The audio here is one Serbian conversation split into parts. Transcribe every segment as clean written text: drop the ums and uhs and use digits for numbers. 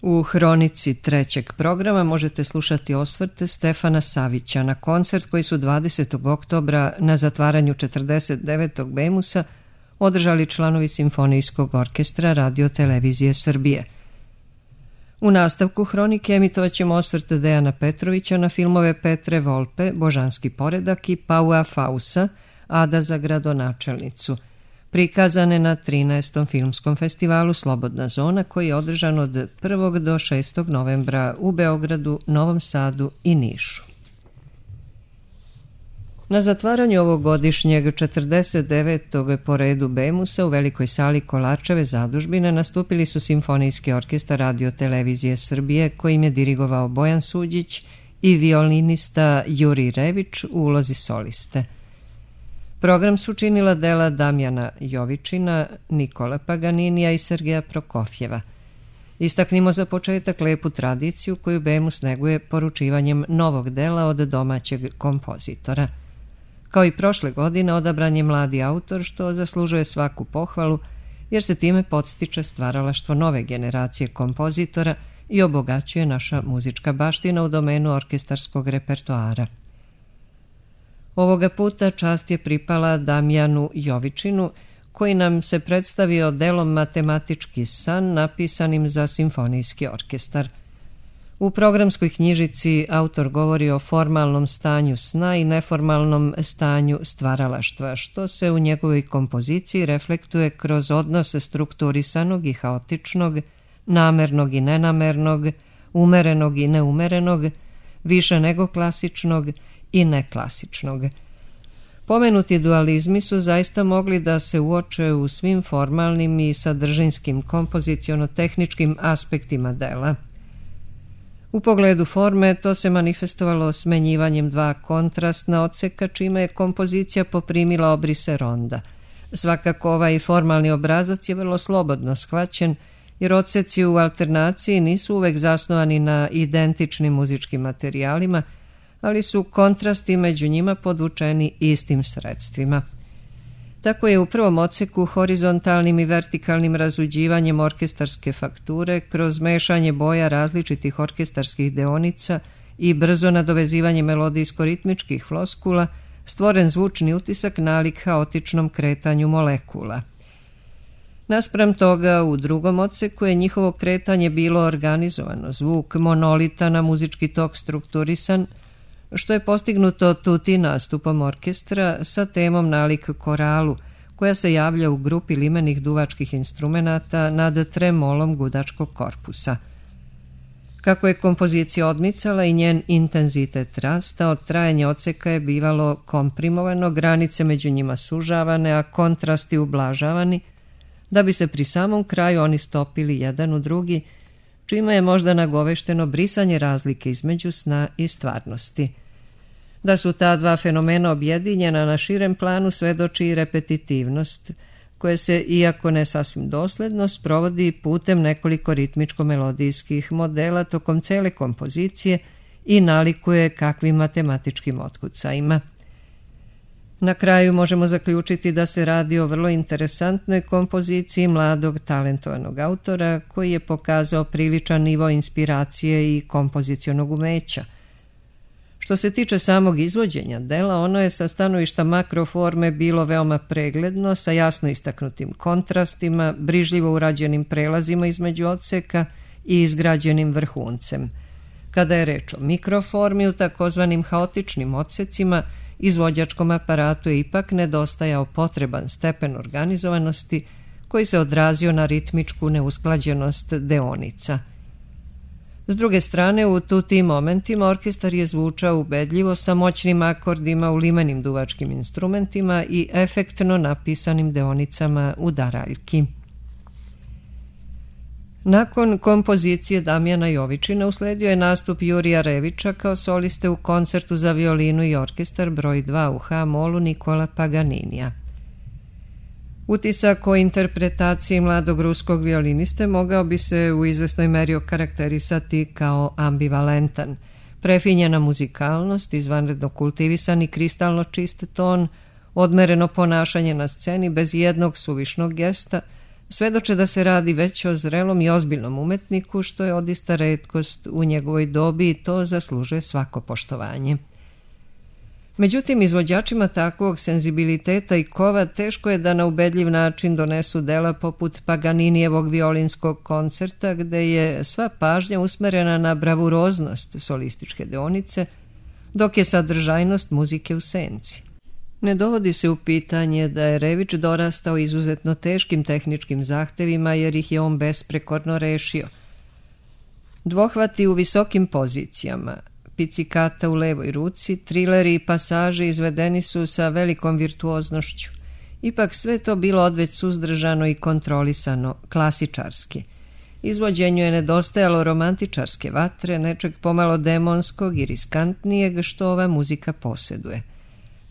U hronici trećeg programa možete slušati osvrte Stefana Savića na koncert koji su 20. oktobra na zatvaranju 49. Bemusa održali članovi Simfonijskog orkestra Radio Televizije Srbije. U nastavku hronike emitovat ćemo osvrte Dejana Petrovića na filmove Petre Volpe, Božanski poredak i Paua Fausa, Ada za gradonačelnicu, prikazane na 13. filmskom festivalu Slobodna zona koji je održan od 1. do 6. novembra u Beogradu, Novom Sadu i Nišu. Na zatvaranju ovogodišnjeg 49. po redu Bemusa u velikoj sali Kolarčeve zadužbine nastupili su Simfonijski orkestar Radio Televizije Srbije kojim je dirigovao Bojan Suđić i violinista Juri Rević u ulozi soliste. Program su činila dela Damjana Jovičina, Nikola Paganinija i Sergeja Prokofjeva. Istaknimo za početak lepu tradiciju koju Bemus neguje poručivanjem novog dela od domaćeg kompozitora. Kao i prošle godine odabran je mladi autor što zaslužuje svaku pohvalu jer se time podstiče stvaralaštvo nove generacije kompozitora i obogaćuje naša muzička baština u domenu orkestarskog repertoara. Ovoga puta čast je pripala Damjanu Jovičinu koji nam se predstavio delom Matematički san napisanim za simfonijski orkestar. U programskoj knjižici autor govori o formalnom stanju sna i neformalnom stanju stvaralaštva, što se u njegovoj kompoziciji reflektuje kroz odnose strukturisanog i haotičnog, namernog i nenamernog, umerenog i neumerenog, više nego klasičnog i neklasičnog. Pomenuti dualizmi su zaista mogli da se uoče u svim formalnim i sadržinskim kompoziciono-tehničkim aspektima dela. U pogledu forme to se manifestovalo smenjivanjem dva kontrastna odseka čime je kompozicija poprimila obrise ronda. Svakako ovaj formalni obrazac je vrlo slobodno shvaćen jer odseci u alternaciji nisu uvek zasnovani na identičnim muzičkim materijalima, ali su kontrasti među njima podvučeni istim sredstvima. Tako je u prvom odseku horizontalnim i vertikalnim razuđivanjem orkestarske fakture kroz mešanje boja različitih orkestarskih deonica i brzo nadovezivanje melodijsko-ritmičkih floskula stvoren zvučni utisak nalik haotičnom kretanju molekula. Naspram toga, u drugom odseku je njihovo kretanje bilo organizovano, zvuk monolitan, a muzički tok strukturisan, što je postignuto tuti nastupom orkestra sa temom nalik koralu, koja se javlja u grupi limenih duvačkih instrumenata nad tremolom gudačkog korpusa. Kako je kompozicija odmicala i njen intenzitet rastao, trajanje odseka je bivalo komprimovano, granice među njima sužavane, a kontrasti ublažavani, da bi se pri samom kraju oni stopili jedan u drugi, čime je možda nagovešteno brisanje razlike između sna i stvarnosti. Da su ta dva fenomena objedinjena na širem planu svedoči i repetitivnost, koje se, iako ne sasvim dosledno, sprovodi putem nekoliko ritmičko-melodijskih modela tokom cele kompozicije i nalikuje kakvim matematičkim otkucajima. Na kraju možemo zaključiti da se radi o vrlo interesantnoj kompoziciji mladog talentovanog autora koji je pokazao priličan nivo inspiracije i kompozicionog umeća. Što se tiče samog izvođenja dela, ono je sa stanovišta makroforme bilo veoma pregledno, sa jasno istaknutim kontrastima, brižljivo urađenim prelazima između odseka i izgrađenim vrhuncem. Kada je reč o mikroformi, u takozvanim haotičnim odsecima, izvođačkom aparatu je ipak nedostajao potreban stepen organizovanosti koji se odrazio na ritmičku neusklađenost deonica. S druge strane, u tim momentima orkestar je zvučao ubedljivo sa moćnim akordima u limenim duvačkim instrumentima i efektno napisanim deonicama udaraljki. Nakon kompozicije Damjana Jovičina usledio je nastup Jurija Revića kao soliste u koncertu za violinu i orkestar broj 2 u H-molu Nikola Paganinija. Utisak o interpretaciji mladog ruskog violiniste mogao bi se u izvesnoj meri okarakterisati kao ambivalentan. Prefinjena muzikalnost, izvanredno kultivisan i kristalno čist ton, odmereno ponašanje na sceni bez jednog suvišnog gesta, svedoče da se radi već o zrelom i ozbiljnom umetniku, što je odista retkost u njegovoj dobi i to zaslužuje svako poštovanje. Međutim, izvođačima takvog senzibiliteta i kova teško je da na ubedljiv način donesu dela poput Paganinijevog violinskog koncerta, gde je sva pažnja usmerena na bravuroznost solističke deonice, dok je sadržajnost muzike u senci. Ne dovodi se u pitanje da je Rević dorastao izuzetno teškim tehničkim zahtevima jer ih je on besprekorno rešio. Dvohvati u visokim pozicijama, picikata u levoj ruci, trileri i pasaži izvedeni su sa velikom virtuoznošću. Ipak sve to bilo odveć suzdržano i kontrolisano, klasičarski. Izvođenju je nedostajalo romantičarske vatre, nečeg pomalo demonskog i riskantnijeg što ova muzika posjeduje.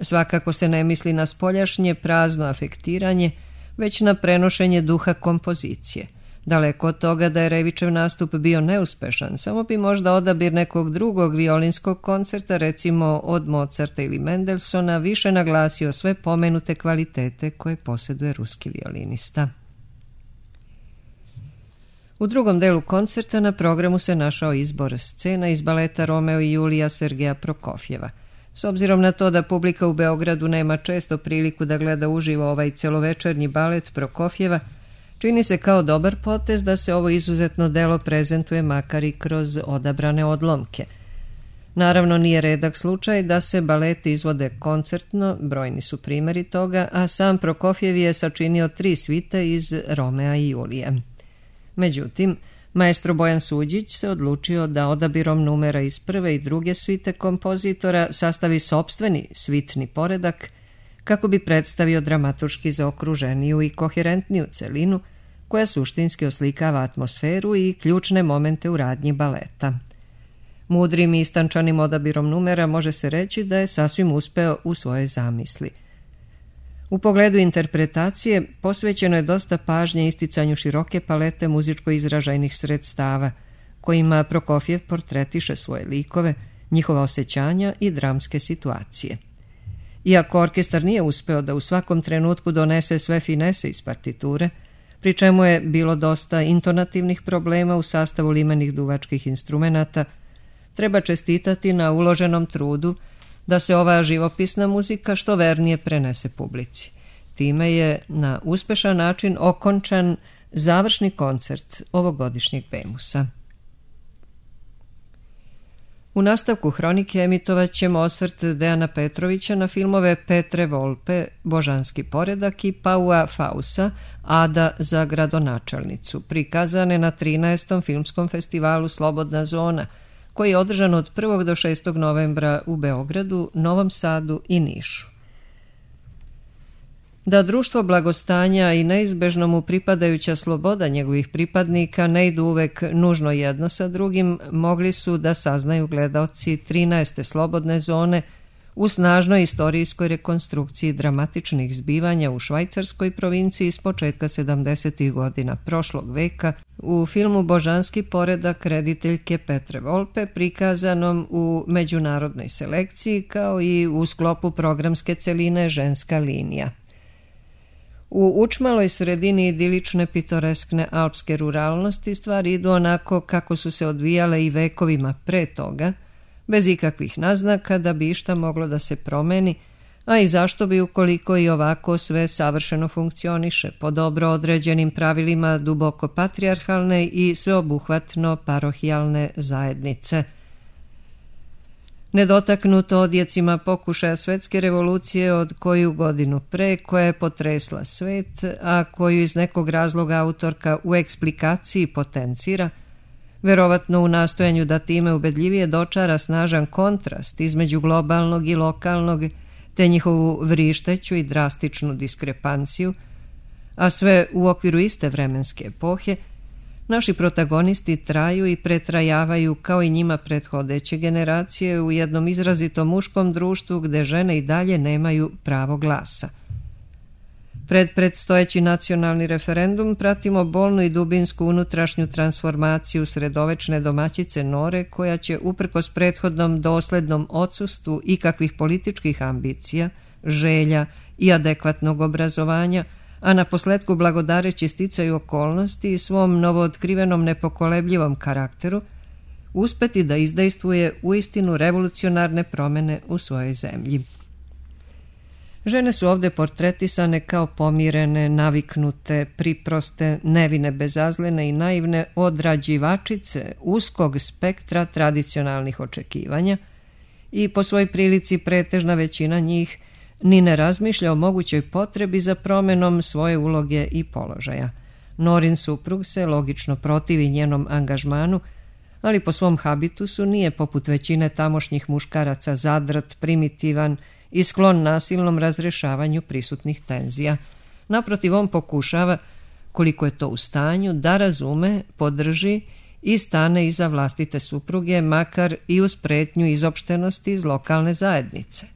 Svakako se ne misli na spoljašnje prazno afektiranje, već na prenošenje duha kompozicije. Daleko od toga da je Revićev nastup bio neuspešan, samo bi možda odabir nekog drugog violinskog koncerta, recimo od Mozarta ili Mendelsona, više naglasio sve pomenute kvalitete koje posjeduje ruski violinista. U drugom delu koncerta na programu se našao izbor scena iz baleta Romeo i Julija Sergeja Prokofjeva. S obzirom na to da publika u Beogradu nema često priliku da gleda uživo ovaj celovečernji balet Prokofjeva, čini se kao dobar potez da se ovo izuzetno delo prezentuje makar i kroz odabrane odlomke. Naravno, nije redak slučaj da se baleti izvode koncertno, brojni su primjeri toga, a sam Prokofjev je sačinio 3 svite iz Romea i Julija. Međutim, maestro Bojan Suđić se odlučio da odabirom numera iz prve i druge svite kompozitora sastavi sopstveni svitni poredak kako bi predstavio dramaturški zaokruženiju i koherentniju celinu koja suštinski oslikava atmosferu i ključne momente u radnji baleta. Mudrim i istančanim odabirom numera može se reći da je sasvim uspeo u svojoj zamisli. U pogledu interpretacije posvećeno je dosta pažnje isticanju široke palete muzičko izražajnih sredstava, kojima Prokofjev portretiše svoje likove, njihova osjećanja i dramske situacije. Iako orkestar nije uspeo da u svakom trenutku donese sve finese iz partiture, pri čemu je bilo dosta intonativnih problema u sastavu limenih duvačkih instrumenata, treba čestitati na uloženom trudu da se ova živopisna muzika što vernije prenese publici. Time je na uspešan način okončan završni koncert ovogodišnjeg Bemusa. U nastavku hronike emitovat ćemo osvrt Dejana Petrovića na filmove Petre Volpe, Božanski poredak i Paua Fausa, Ada za gradonačelnicu, prikazane na 13. filmskom festivalu Slobodna zona, koji je održan od 1. do 6. novembra u Beogradu, Novom Sadu i Nišu. Da društvo blagostanja i neizbežno mu pripadajuća sloboda njegovih pripadnika ne idu uvek nužno jedno sa drugim, mogli su da saznaju gledaoci 13. Slobodne zone u snažnoj istorijskoj rekonstrukciji dramatičnih zbivanja u švajcarskoj provinciji s početka 70. godina prošlog veka u filmu Božanski poredak rediteljke Petre Volpe, prikazanom u međunarodnoj selekciji kao i u sklopu programske celine Ženska linija. U učmaloj sredini idilične pitoreskne alpske ruralnosti stvari idu onako kako su se odvijale i vekovima pre toga, bez ikakvih naznaka da bi išta moglo da se promeni, a i zašto bi ukoliko i ovako sve savršeno funkcioniše po dobro određenim pravilima duboko patrijarhalne i sveobuhvatno parohijalne zajednice. Nedotaknuto odjecima pokušaja svetske revolucije od koju godinu pre, koja je potresla svet, a koju iz nekog razloga autorka u eksplikaciji potencira, verovatno u nastojanju da time ubedljivije dočara snažan kontrast između globalnog i lokalnog, te njihovu vrišteću i drastičnu diskrepanciju, a sve u okviru iste vremenske epohe, naši protagonisti traju i pretrajavaju kao i njima prethodeće generacije u jednom izrazito muškom društvu gde žene i dalje nemaju pravo glasa. Pred predstojeći nacionalni referendum pratimo bolnu i dubinsku unutrašnju transformaciju sredovečne domaćice Nore koja će uprkos prethodnom doslednom odsustvu ikakvih političkih ambicija, želja i adekvatnog obrazovanja a na posletku blagodareći sticaju okolnosti i svom novootkrivenom nepokolebljivom karakteru uspeti da izdejstvuje uistinu revolucionarne promene u svojoj zemlji. Žene su ovde portretisane kao pomirene, naviknute, priproste, nevine, bezazlene i naivne odrađivačice uskog spektra tradicionalnih očekivanja i po svojoj prilici pretežna većina njih ni ne razmišlja o mogućoj potrebi za promenom svoje uloge i položaja. Norin suprug se logično protivi njenom angažmanu, ali po svom habitusu nije poput većine tamošnjih muškaraca zadrt, primitivan i sklon nasilnom razrešavanju prisutnih tenzija. Naprotiv, on pokušava, koliko je to u stanju, da razume, podrži i stane iza vlastite supruge, makar i uz pretnju izopštenosti iz lokalne zajednice.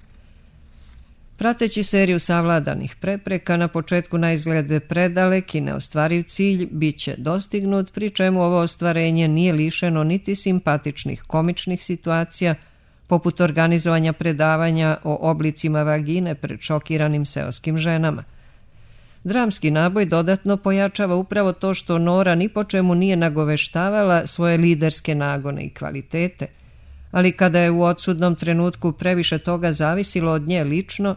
Prateći seriju savladanih prepreka, na početku na izgled predalek i neostvariv cilj bit će dostignut, pri čemu ovo ostvarenje nije lišeno niti simpatičnih komičnih situacija, poput organizovanja predavanja o oblicima vagine pred šokiranim seoskim ženama. Dramski naboj dodatno pojačava upravo to što Nora ni po čemu nije nagoveštavala svoje liderske nagone i kvalitete, ali kada je u odsudnom trenutku previše toga zavisilo od nje lično,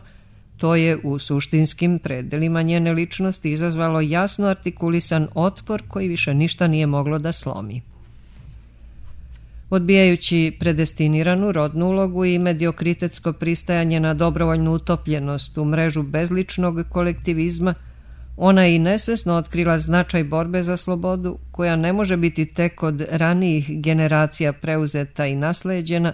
to je u suštinskim predelima njene ličnosti izazvalo jasno artikulisan otpor koji više ništa nije moglo da slomi. Odbijajući predestiniranu rodnu ulogu i mediokritetsko pristajanje na dobrovoljnu utopljenost u mrežu bezličnog kolektivizma, ona je i nesvesno otkrila značaj borbe za slobodu, koja ne može biti tek od ranijih generacija preuzeta i nasleđena,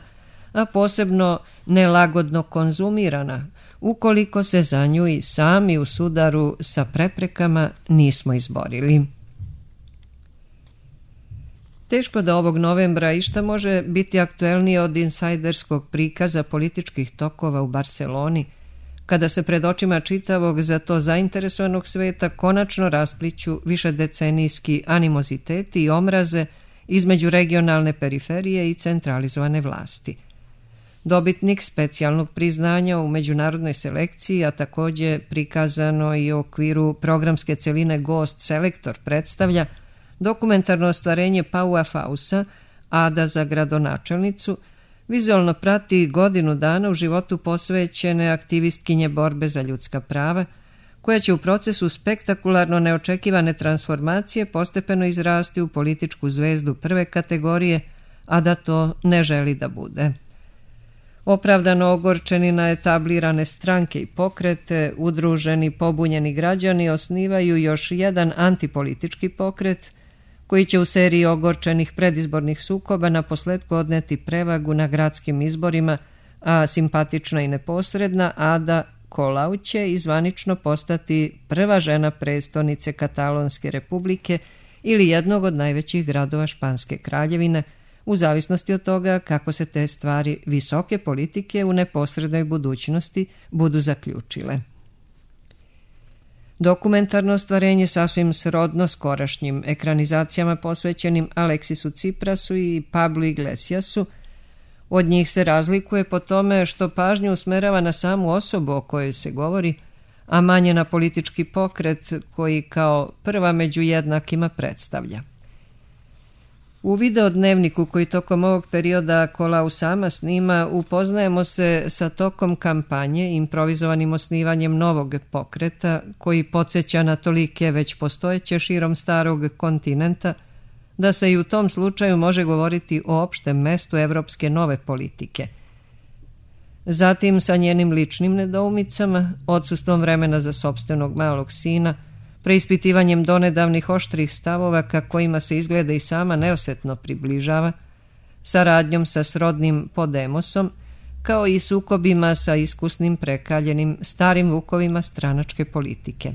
a posebno nelagodno konzumirana, ukoliko se za nju i sami u sudaru sa preprekama nismo izborili. Teško da ovog novembra išta može biti aktuelnije od insajderskog prikaza političkih tokova u Barseloni, kada se pred očima čitavog za to zainteresovanog sveta konačno raspliću višedecenijski animoziteti i omraze između regionalne periferije i centralizovane vlasti. Dobitnik specijalnog priznanja u međunarodnoj selekciji, a također prikazano i u okviru programske celine Gost Selektor predstavlja dokumentarno ostvarenje Paua Fausa, Ada za gradonačelnicu, vizualno prati godinu dana u životu posvećene aktivistkinje borbe za ljudska prava, koja će u procesu spektakularno neočekivane transformacije postepeno izrasti u političku zvezdu prve kategorije, a da to ne želi da bude. Opravdano ogorčeni na etablirane stranke i pokrete, udruženi pobunjeni građani osnivaju još jedan antipolitički pokret, koji će u seriji ogorčenih predizbornih sukoba na posledku odneti prevagu na gradskim izborima, a simpatična i neposredna Ada Colau će izvanično postati prva žena prestonice Katalonske republike ili jednog od najvećih gradova Španske kraljevine, u zavisnosti od toga kako se te stvari visoke politike u neposrednoj budućnosti budu zaključile. Dokumentarno ostvarenje sasvim srodno skorašnjim ekranizacijama posvećenim Aleksisu Ciprasu i Pablu Iglesiasu, od njih se razlikuje po tome što pažnju usmerava na samu osobu o kojoj se govori, a manje na politički pokret koji kao prva među jednakima predstavlja. U videodnevniku koji tokom ovog perioda Colau sama snima, upoznajemo se sa tokom kampanje, improvizovanim osnivanjem novog pokreta koji podsjeća na tolike već postojeće širom starog kontinenta, da se i u tom slučaju može govoriti o opštem mestu evropske nove politike. Zatim sa njenim ličnim nedoumicama, odsustvom vremena za sopstvenog malog sina, preispitivanjem donedavnih oštrih stavova ka kojima se izgleda i sama neosetno približava, saradnjom sa srodnim Podemosom, kao i sukobima sa iskusnim prekaljenim starim vukovima stranačke politike.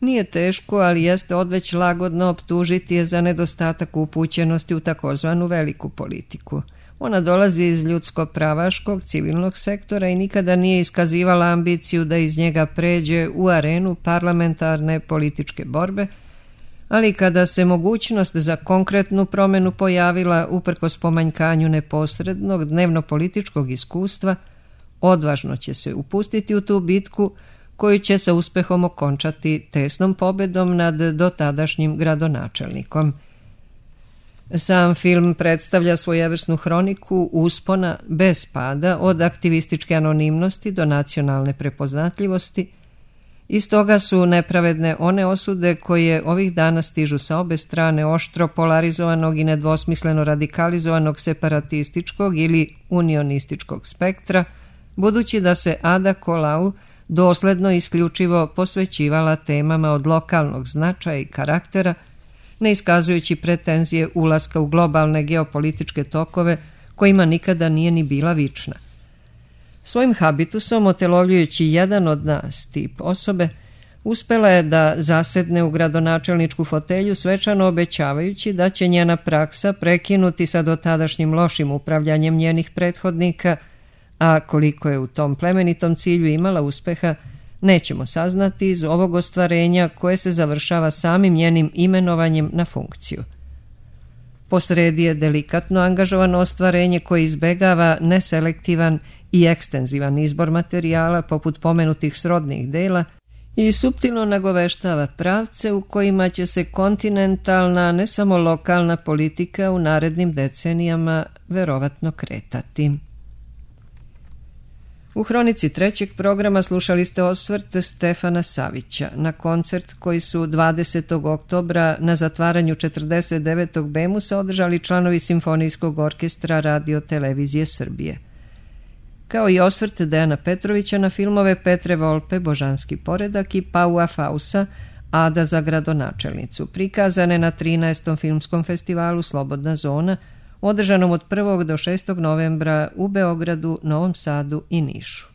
Nije teško, ali jeste odveć lagodno optužiti je za nedostatak upućenosti u takozvanu veliku politiku. Ona dolazi iz ljudsko-pravaškog civilnog sektora i nikada nije iskazivala ambiciju da iz njega pređe u arenu parlamentarne političke borbe, ali kada se mogućnost za konkretnu promenu pojavila uprkos pomanjkanju neposrednog dnevno-političkog iskustva, odvažno će se upustiti u tu bitku koju će sa uspehom okončati tesnom pobedom nad dotadašnjim gradonačelnikom. Sam film predstavlja svojevrsnu hroniku uspona bez pada od aktivističke anonimnosti do nacionalne prepoznatljivosti i stoga su nepravedne one osude koje ovih dana stižu sa obe strane oštro polarizovanog i nedvosmisleno radikalizovanog separatističkog ili unionističkog spektra, budući da se Ada Colau dosledno i isključivo posvećivala temama od lokalnog značaja i karaktera, ne iskazujući pretenzije ulaska u globalne geopolitičke tokove kojima nikada nije ni bila vična. Svojim habitusom, otelovljujući jedan od nas tip osobe, uspela je da zasedne u gradonačelničku fotelju svečano obećavajući da će njena praksa prekinuti sa dotadašnjim lošim upravljanjem njenih prethodnika, a koliko je u tom plemenitom cilju imala uspeha, nećemo saznati iz ovog ostvarenja koje se završava samim njenim imenovanjem na funkciju. Posredi je delikatno angažovano ostvarenje koje izbegava neselektivan i ekstenzivan izbor materijala poput pomenutih srodnih dela i suptilno nagoveštava pravce u kojima će se kontinentalna, ne samo lokalna politika u narednim decenijama verovatno kretati. U hronici trećeg programa slušali ste osvrt Stefana Savića na koncert koji su 20. oktobra na zatvaranju 49. Bemusa održali članovi Simfonijskog orkestra Radio Televizije Srbije. Kao i osvrt Dejana Petrovića na filmove Petre Volpe, Božanski poredak i Paua Fausa, Ada za gradonačelnicu, prikazane na 13. filmskom festivalu Slobodna zona, održanom od 1. do 6. novembra u Beogradu, Novom Sadu i Nišu.